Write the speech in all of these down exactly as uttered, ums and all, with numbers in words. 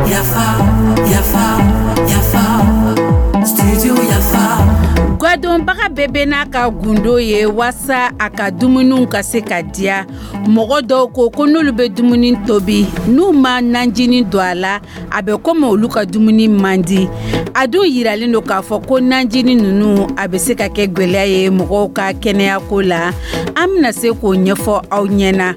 Yafa, yafa, yafa, studio Yafa. Gadonbaga bɛɛ bɛ n'a ka gundo ye waasa a ka dumuniw ka se ka diya. Mɔgɔ dɔw ko ko n'olu bɛ dumuni tobi, n'u ma najini don a la, a bɛ komi olu ka dumuni man di. A dun yiralen don k'a fɔ ko najini ninnu, a bɛ se ka kɛ gwɛlɛya ye mɔgɔw ka kɛnɛyako la. An bɛna se k'o ɲɛfɔ aw ɲɛna.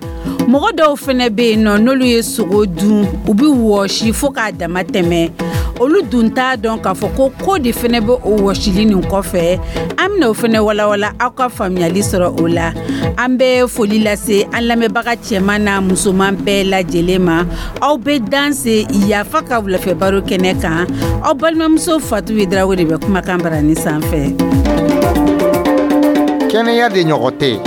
Mɔgɔ dɔw fɛnɛ bɛ yen nɔ, n'olu ye sogo dun, u bɛ wɔsi fo k'a dama tɛmɛ. Olu dun t'a dɔn k'a fɔ ko ko de fɛnɛ bɛ o wɔsili nin kɔfɛ. An bɛna o fɛnɛ walawala, aw ka faamuyali sɔrɔ o la. An bɛ foli lase an lamɛnbaga cɛman n'a musoman bɛɛ lajɛlen ma. Aw bɛ danse Yafa ka wulafɛ baro kɛnɛ kan. Aw balimamuso Fatu Darawo de bɛ kumakan barani sanfɛ. Kɛnɛya de ɲɔgɔn tɛ.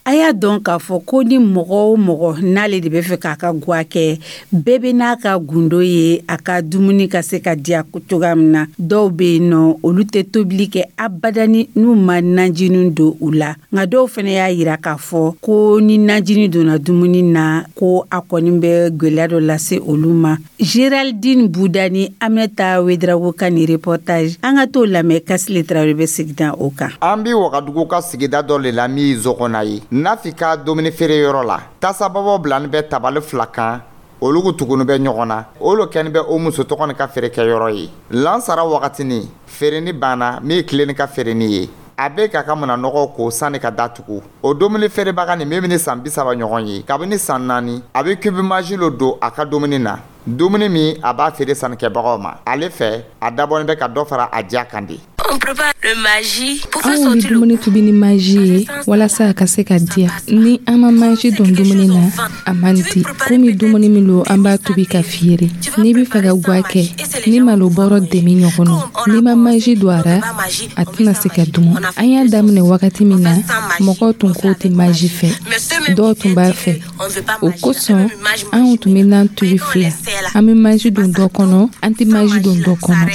A y'a dɔn k'a fɔ ko ni mɔgɔ o mɔgɔ n'ale de bɛ fɛ k'a ka gwa kɛ, bɛɛ bɛ n'a ka gundo ye a ka dumuni ka se ka diya cogoya min na. Dɔw bɛ yen nɔ, olu tɛ tobili kɛ abadani n'u ma najini don u la. Nka dɔw fana y'a yira k'a fɔ ko ni najini donna dumuni na, ko a kɔni bɛ gwɛlɛya dɔ lase olu ma. Géraldine Buda ni Aminata Ouédraogo ka nin reportage, an ka t'o lamɛn. Kasile Tarawele bɛ segin o kan. An bi Wagadugu ka sigida dɔ le la min ye Zɔgɔna ye. Nafi ka dumuni feere yɔrɔ la, tasababɔ bilani bɛ tabali fila kan, olugu tuguni bɛ ɲɔgɔn na. Olu kɛni bɛ o muso tɔgɔ ni ka feerekɛyɔrɔ ye. Lansara wagatini feereni banna, min ye tilenni ka feereni ye, a bɛ k'a ka nɔgɔ ko sanni ka datugu. O dumuni feerebaga nin min bɛ san bi saba ɲɔgɔn ye, kabini san naani a bɛ cube Maggi lo don a ka dumuni na, dumuni min a b'a feere sannikɛbagaw ma. Ale fɛ, a dabɔnin bɛ ka dɔ fara a diya kan de. Anw bɛ dumuni tobi ni Maggi ye walasa a ka se ka diya. Ni an ma Maggi don dumuni na, a man di. Komi dumuni min don, an b'a tobi ka feere. N'i bɛ fɛ ka gwa kɛ ni malo bɔrɔ demi ɲɔgɔn nɔ, n'i ma Maggi don a ra, a tɛna se ka dumu. An y'a daminɛ wagati min na, mɔgɔw tun k'o tɛ Maggi fɛ, dɔw tun b'a fɛ. O kosɔn anw tun bɛ nan tobi fila: an bɛ Maggi don dɔ kɔnɔ, an tɛ Maggi don dɔ kɔnɔ.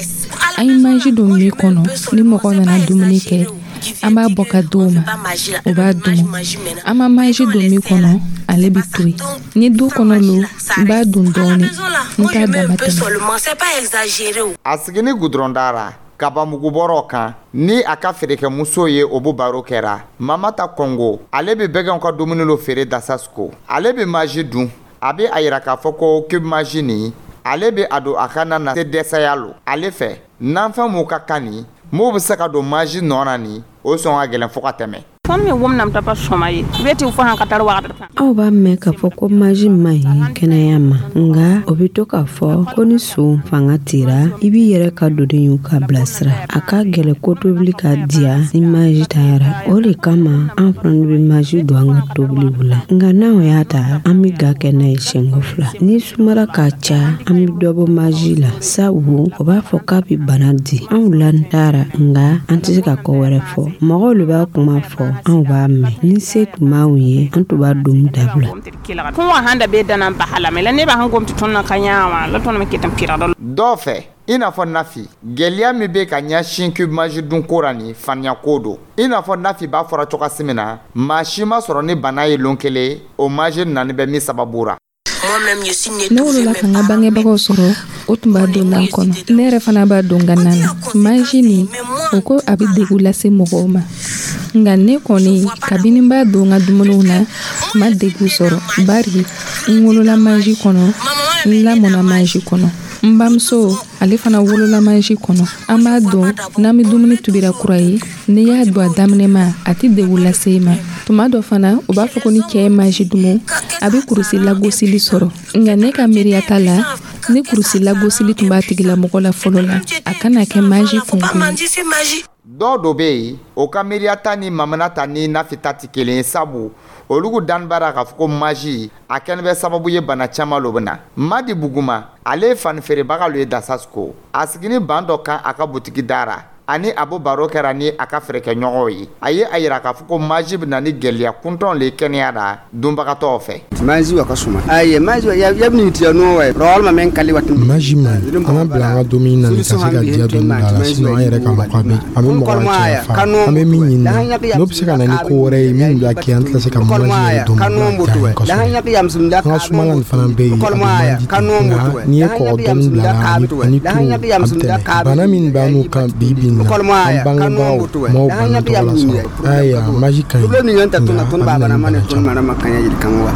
An ye Maggi don min kɔnɔ, ni mɔgɔ nana dumuni kɛ, an b'a bɔ ka di o ma, o b'a dumu. An ma Maggi don min kɔnɔ, ale bɛ to yen. Ni du kɔnɔ lo, n b'a don dɔɔni, n t'a dama tɛmɛ. A sigini gudɔrɔn dara kabamugubɔrɔ kan ni a ka feerekɛmuso ye, o b'o baro kɛra. Mamata Kɔngo, ale bɛ bɛgɛnw ka dumuni lo feere Dasasiko. Ale bɛ Maggi dun. A bɛ a yira k'a fɔ ko cube Maggi nin, ale bɛ a don a ka na na se dɛsɛya lo. Ale fɛ, nanfɛn m'u ka kan nin m'o bɛ se ka don Maggi nɔ na nin, o sɔn ka gɛlɛn fo ka tɛmɛ. Aw b'a mɛn k'a fɔ ko Maggi man ɲi kɛnɛya ma, nga o bɛ to k'a fɔ ko ni son fanga tira, i b'i yɛrɛ ka doni y'u ka bilasira. A ka gɛlɛ ko tobili ka diya ni Maggi tayara. O de kama an fana bɛ Maggi don an ka tobiliw la. Nka n'anw y'a ta, an bɛ ga kɛ n'a ye siɲɛko fila. Ni sumara ka ca, an bɛ dɔ bɔ Maggi la, sabu o b'a fɔ k'a bɛ bana di. Anw lan taara, nka an tɛ se ka ko wɛrɛ fɔ. Mɔgɔw de b'a kuma fɔ, anw b'a mɛn. Ni se tun b'anw ye, an tun b'a doni dabila. Dɔw fɛ, i n'a fɔ Nafi, gɛlɛya min bɛ ka ɲɛsin cube Maggi dunko ra nin, faniya ko don. I n'a fɔ Nafi b'a fɔra cogoya min na, maa si ma sɔrɔ ni bana ye lon kelen o Maggi nani bɛ min sababu ra. Ne wolola ka n ka bangebagaw sɔrɔ, o tun b'a don nan kɔnɔ. Ne yɛrɛ fana b'a don n ka nan na. Maggi nin, o ko a bɛ degun lase mɔgɔw ma, nka ne kɔni, kabini n b'a don n ka dumuniw na, ma degun sɔrɔ, bari n wolola Maggi kɔnɔ, n lamɔna Maggi kɔnɔ. N bamuso, ale fana wolola Maggi kɔnɔ. An b'a don n'an bɛ dumuni tobira kura ye. N'i y'a don a daminɛ ma, a tɛ degun lase i ma. Tuma dɔ fana, u b'a fɔ ko ni cɛ ye Maggi dumu, a bɛ kurusi lagosili sɔrɔ. Nka ne ka miiriya ta la, ni kurusi lagosili tun b'a tigilamɔgɔ la fɔlɔ la, a kana kɛ Maggi kunko ye. Dɔw do bɛ yen, o ka miiriya ta ni Mamana ta ni Nafi ta tɛ kelen ye, sabu olugu danni b'a k'a fɔ ko Maggi a kɛlen bɛ sababu ye bana caman lo bɛ na. Madi Buguma, ale ye fani feerebaga lo ye Dasasiko. A sigini ban dɔ kan a ka butigi da ra. Ani a bɛ baro kɛra ni a ka feerekɛɲɔgɔnw ye. A ye a yira k'a fɔ ko maji bɛ na ni gɛlɛya kuntɔn le kɛnɛya la dunbagatɔw fɛ. Maji wa ka suma ayi maji ya ya ni tiya no wa rawal ma men kali wat maji man ɲi, an ka bila an ka dumuni na ka se ka diya dɔɔni bila a la, sinon an yɛrɛ ka mako a bɛ a bɛ mɔgɔ la cɛ fa. An bɛ min ɲini na, n'o bɛ se ka na ni ko wɛrɛ ye min b'a kɛ an tɛna se ka maji yɛrɛ dɔn kosɛbɛ. An ka sumala nin fana bɛ yen, a bɛ man di ten, nka n'i ye kɔgɔ dɔɔni bila a la ani tulu, a bɛ tɛmɛ. Bana min b'an kan bi bi in na, an bangebagaw m'o bana tɔgɔ la sɔrɔ. Ayiwa, maji ka ɲi, nka a bɛ na ni bana caman.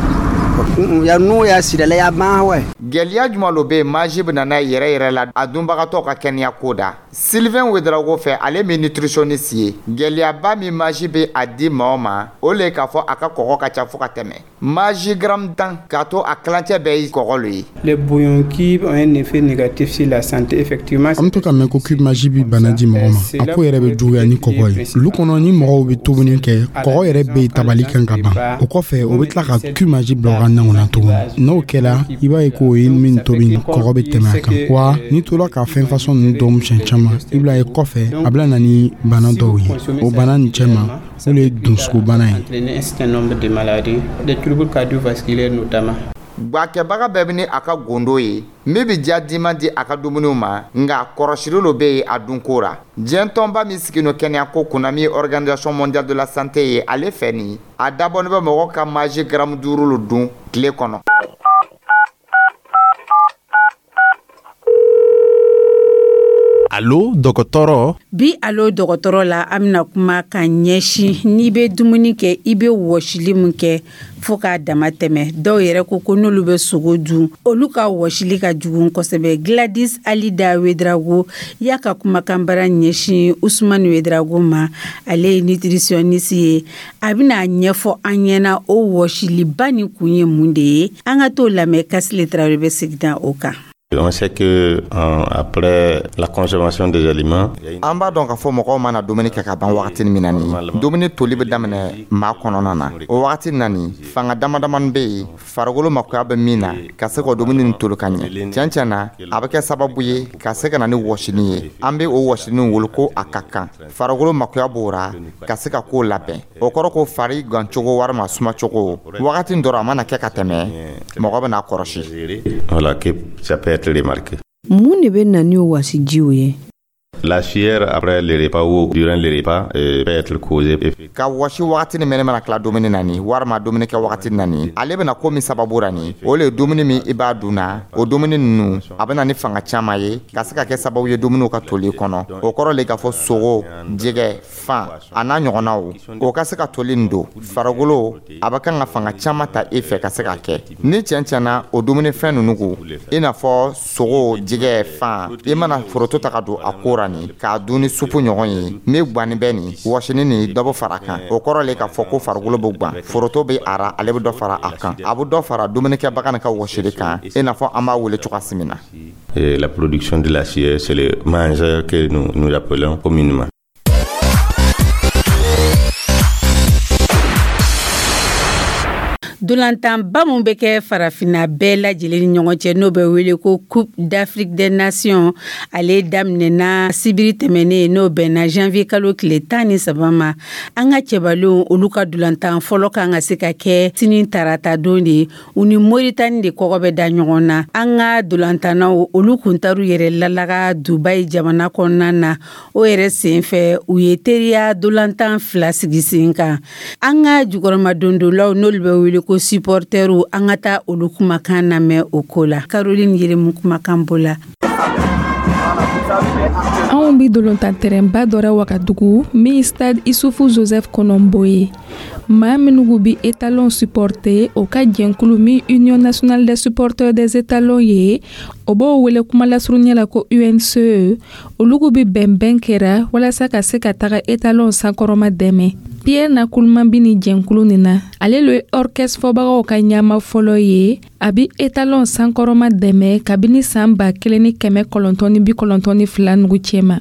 Ya n'o ya sirala ya ban wa. Gɛlɛya jumɛn lo bɛ yen maji bɛ na n'a yɛrɛ yɛrɛ la a dunbagatɔ ka kɛnɛya ko da? Sylvain Ouedraogo fɛ, ale min nutritionniste ye, gɛlɛyaba min maji bɛ a di maaw ma, o le k'a fɔ a ka kɔgɔ ka ca fo ka tɛmɛ. Maji gramme tan k'a to a kilancɛ bɛɛ ye kɔgɔ lo ye. Les bouillons cubes ont un effet négatif sur la santé, effectivement. An bɛ to ka mɛn ko cube maji bɛ bana di mɔgɔ ma. A ko yɛrɛ bɛ juguya ni kɔgɔ ye. Lu kɔnɔ, ni mɔgɔw bɛ tobili kɛ, kɔgɔ yɛrɛ bɛ yen tabali kan ka ban. O kɔfɛ, o bɛ tila ka cube maji bila u ka nanw na tuguni. N'o kɛra, i b'a ye k'o ye min tobi, kɔgɔ bɛ tɛmɛ a kan. Wa n'i tora ka fɛn fasɔn ninnu dɔn siɲɛ caman, i bɛna ye kɔfɛ a bɛna na ni bana dɔw ye. O bana nin cɛma, o de ye dusukun-bana ye. Un certain nombre de maladies, des troubles cardiovasculaires notamment. Gwakɛbaga bɛɛ bɛ ni a ka gundo ye min bɛ diya diman di a ka dumuniw ma, nka kɔrɔsili lo bɛ yen a dunko ra. Diɲɛ tɔnba min sigin kɛnɛya ko kunna, min ye Organisation mondiale de la santé ye, ale fɛ nin a dabɔnin bɛ mɔgɔ ka maji garamu duuru lo dun tile kɔnɔ. Alo dɔgɔtɔrɔ. Bi alo dɔgɔtɔrɔ la, an bɛna kuma ka ɲɛsin n'i bɛ dumuni kɛ, i bɛ wɔsili min kɛ fo k'a dama tɛmɛ. Dɔw yɛrɛ ko ko n'olu bɛ sogo dun, olu ka wɔsili ka jugu kosɛbɛ. Gladys Alida Ouedraogo y'a ka kumakanbara ɲɛsin Usumani Ouedraogo ma, ale ye nutritionniste ye. A bɛna a ɲɛfɔ an ɲɛna o wɔsiliba nin kun ye mun de ye. An ka t'o lamɛn, Kasile Tarawele bɛ segin o kan. On sait que euh, après la consommation des aliments, an b'a dɔn k'a fɔ mɔgɔw mana dumuni kɛ ka ban wagati min na, nin dumuni toli bɛ daminɛ maa kɔnɔna na. O wagati na nin, fanga dama damani bɛ yen farikolo makoya bɛ min na ka se k'o dumuni nin toli ka ɲɛ. Tiɲɛ tiɲɛ na, a bɛ kɛ sababu ye ka se ka na ni wɔsini ye. An bɛ o wɔsini wele ko a ka kan farikolo makoya b'o ra ka se ka k'o labɛn. O kɔrɔ ko fari gancogo walima sumacogo wagati dɔrɔn a mana kɛ ka tɛmɛ, mɔgɔ bɛna kɔrɔsi. Voilà, que ça peut être remarqué. Mun de bɛ na ni o wasijiw ye? La sueur après le repas ou durant le repas euh, peut être causée. Ka wɔsi wagati ni mɛnɛ mana tila dumuni na nin, walima dumuni kɛ wagati na nin, ale bɛna ko min sababu ra nin, o le ye dumuni min i b'a dun na, o dumuni ninnu a bɛna ni fanga caman ye ka se ka kɛ sababu ye dumuniw ka toli kɔnɔ. O kɔrɔ le k'a fɔ sogo, jɛgɛ, fan a n'a ɲɔgɔnnaw, o ka se ka toli nin don farikolo a bɛ kan ka fanga caman ta e fɛ ka se ka kɛ. Ni tiɲɛ tiɲɛna o dumunifɛn ninnu ko i n'a fɔ sogo, jɛgɛ, fan, i mana foroto ta ka don a ko ra nin k'a dun ni supu ɲɔgɔn ye min gwanni bɛ nin wɔsini nin dɔ bɛ fara a kan. O kɔrɔ le k'a fɔ ko farikolo bɛ gwan, foroto bɛ a ra, ale bɛ dɔ fara a kan, a bɛ dɔ fara dumunikɛbaga nin ka wɔsili kan, i n'a fɔ an b'a wele cogoya min na. Et la production de la sueur, c'est le mangeur que nous, nous appelons communément. Dolantanba min bɛ kɛ farafinna bɛɛ lajɛlen ni ɲɔgɔn cɛ, n'o bɛ wele ko Coupe d'Afrique des Nations, ale daminɛna sibiri tɛmɛnen, n'o bɛnna janvier kalo tile tan ni saba ma. An ka cɛbalenw, olu ka dolantan fɔlɔ kan ka se ka kɛ sini tarata don de ye. U ni Moritani de kɔgɔ bɛ da ɲɔgɔn na. An ka dolantannaw, olu kun taar'u yɛrɛ lalaga Dubayi jamana kɔnɔna na. O yɛrɛ senfɛ, u ye teriya dolantan fila sigi sen kan. An ka jukɔrɔmadondolaw, n'olu bɛ wele ko supporteru, an ka taa olu kumakan lamɛn o ko la. Caroline Yeremu kumakan bɔ la. Anw bi dolontan tɛrɛnba dɔ ra Wagadugu min stade Isufu Joseph Kɔnɔnbo ye. Maa minnu bi étalon supporter, o ka jɛnkulu min Union nationale des supporters des étalons ye, o b'o wele kuma lasurunya la ko U N C E, olugu bi bɛnbɛn kɛra walasa ka se ka taga étalon sankɔrɔma dɛmɛ. Pierre Nakulman bi ni jɛnkulu nin na, ale le ye orchestre fɔbagaw ka ɲama fɔlɔ ye. A bi étalon sankɔrɔma dɛmɛ kabini san ba kelen ni kɛmɛ kɔnɔntɔn ni bi kɔnɔntɔn ni fila nugu cɛma.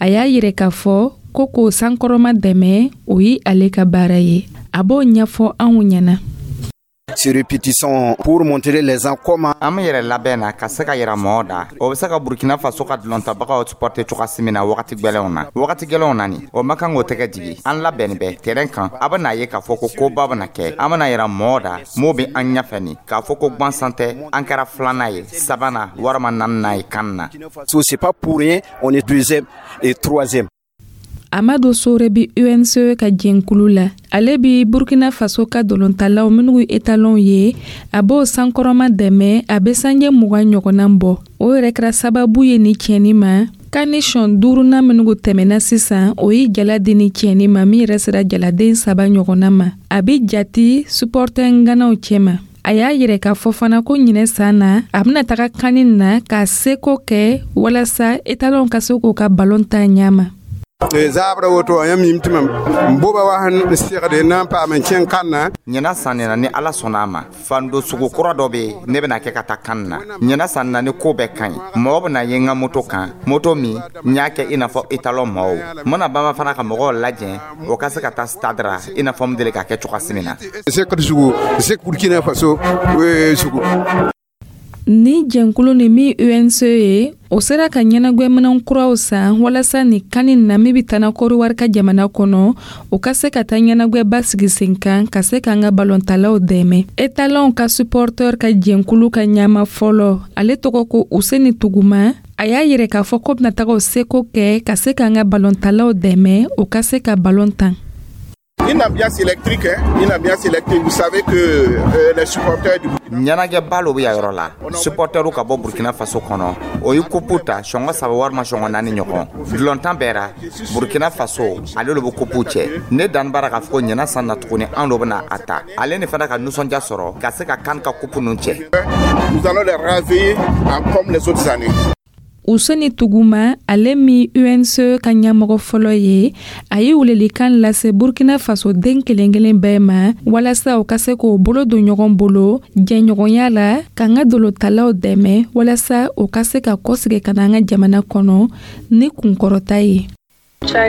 A y'a yɛrɛ k'a fɔ ko k'o sankɔrɔma dɛmɛ, o ye ale ka baara ye. A b'o ɲɛfɔ anw ɲɛna. Ces répétitions pour montrer les gens comment An bɛ yɛrɛ labɛn na ka se ka yira mɔgɔw da, o bɛ se ka Burkina Faso ka dulontabagaw supporter cogoya min na wagati gwɛlɛnw na. Wagati gwɛlɛnw na nin, o ma kan k'o tɛgɛ jigi. An labɛnni bɛ terrain kan. A bɛna ye k'a fɔ ko koba bɛna kɛ. An bɛna yira mɔgɔw da m'o bɛ an ɲɛfɛ nin, k'a fɔ ko gwansan tɛ, an kɛra filanan ye, sabanan walima naaninan ye kan na. So c'est pas pour rien, on est deuxième et troisième. Amadu Sore bi U N C E ka jɛnkulu la. Ale bi Burkina Faso ka dolontalaw minnu ye étalon ye, a b'o sankɔrɔma dɛmɛ. A bɛ sanjɛ mugan ɲɔgɔnna bɔ. O yɛrɛ kɛra sababu ye ni tiɲɛni ma kan ni sɔn duurunan minnu tɛmɛna sisan, o ye jala di ni tiɲɛni ma, min yɛrɛ sera jaladen saba ɲɔgɔnna ma. A bi jati supporter ŋanaw cɛma. A y'a yɛrɛ k'a fɔ fana ko ɲinɛ san na, a bɛna taga kani na k'a seko kɛ walasa étalon ka se k'o ka balon ta ɲa ma. Zaabra woto yãmb yĩm tɩ mam n boba wa sẽn segde na n paam n kẽng kãnna. Ɲinan san nin na, ni Ala sɔnna a ma, fando sugu kura dɔ bɛ yen, ne bɛna kɛ ka taa kan na ɲinan san na. Ni ko bɛɛ ka ɲi, mɔgɔ bɛna ye n ka moto kan, moto min n y'a kɛ i n'a fɔ étalon mɔgɔw. N bɛna banba fana ka mɔgɔw lajɛ, o ka se ka taa stade ra, i n'a fɔ n deli ka kɛ cogoya min na. Sekd zugu sek Burkina Faso sugu. Ni jɛnkulu ni min U N C E ye, o sera ka ɲɛnagwɛminɛn kuraw san walasa ni kani na min bɛ tana Kɔdiwari ka jamana kɔnɔ, o ka se ka taa ɲɛnagwɛba sigi sen kan ka se k'an ka balɔntalaw dɛmɛ. Étalon ka supporter ka jɛnkulu ka ɲama fɔlɔ, ale tɔgɔ ko Useni Tuguma, a y'a yɛrɛ k'a fɔ ko bɛna taga o seko kɛ ka se k'an ka balɔntalaw dɛmɛ, o ka se ka balon tan. Une ambiance électrique, hein, une ambiance électrique. Vous savez que euh, les supporters du Ɲɛnajɛba lo bɛ yan yɔrɔ la. Supporteru ka bɔ Burkina Faso kɔnɔ, o ye kupu ta sɔngɔ saba walima sɔngɔ naani ɲɔgɔn. Dulɔntan bɛɛra Burkina Faso, ale lo bɛ kupu cɛ. Ne danni b'a la k'a fɔ ko ɲinan san na tuguni, an lo bɛna a ta. Ale ni fana ka nisɔndiya sɔrɔ ka se ka kan ka kupu ninnu cɛ. Nous allons les ravir comme les autres années. Useni Tuguma, ale min U N C E ka ɲɛmɔgɔ fɔlɔ ye, a ye welelikan lase Burkina Faso den kelen kelen bɛɛ ma walasa u ka se k'o bolo don ɲɔgɔn bolo jɛɲɔgɔnya la k'an ka dolotalaw dɛmɛ, walasa u ka se ka kɔsigi ka na an ka jamana kɔnɔ ni kunkɔrɔta ye. Music.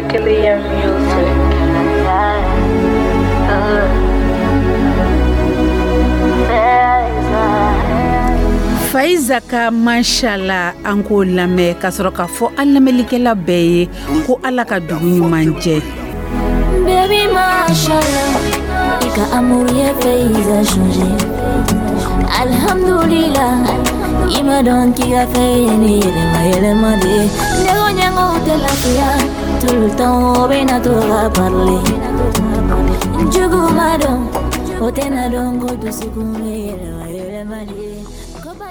Faiza ka Mashala, an k'o lamɛn ka sɔrɔ k'a fɔ an lamɛnlikɛla bɛɛ ye ko Ala ka dugu ɲuman jɛ. Baby, mashallah, i ka amour ye Faiza changer. Alhamdulillah, i ma dɔn k'i ka fɛ ye ni yɛlɛma yɛlɛma de ye. Ne ko ɲɛgɛnw tɛ lafiya, tout le temps o bɛ na to ka parler. Jugu ma dɔn, o tɛna dɔn ko dusukun bɛ yɛlɛma yɛlɛma de ye. Ko ba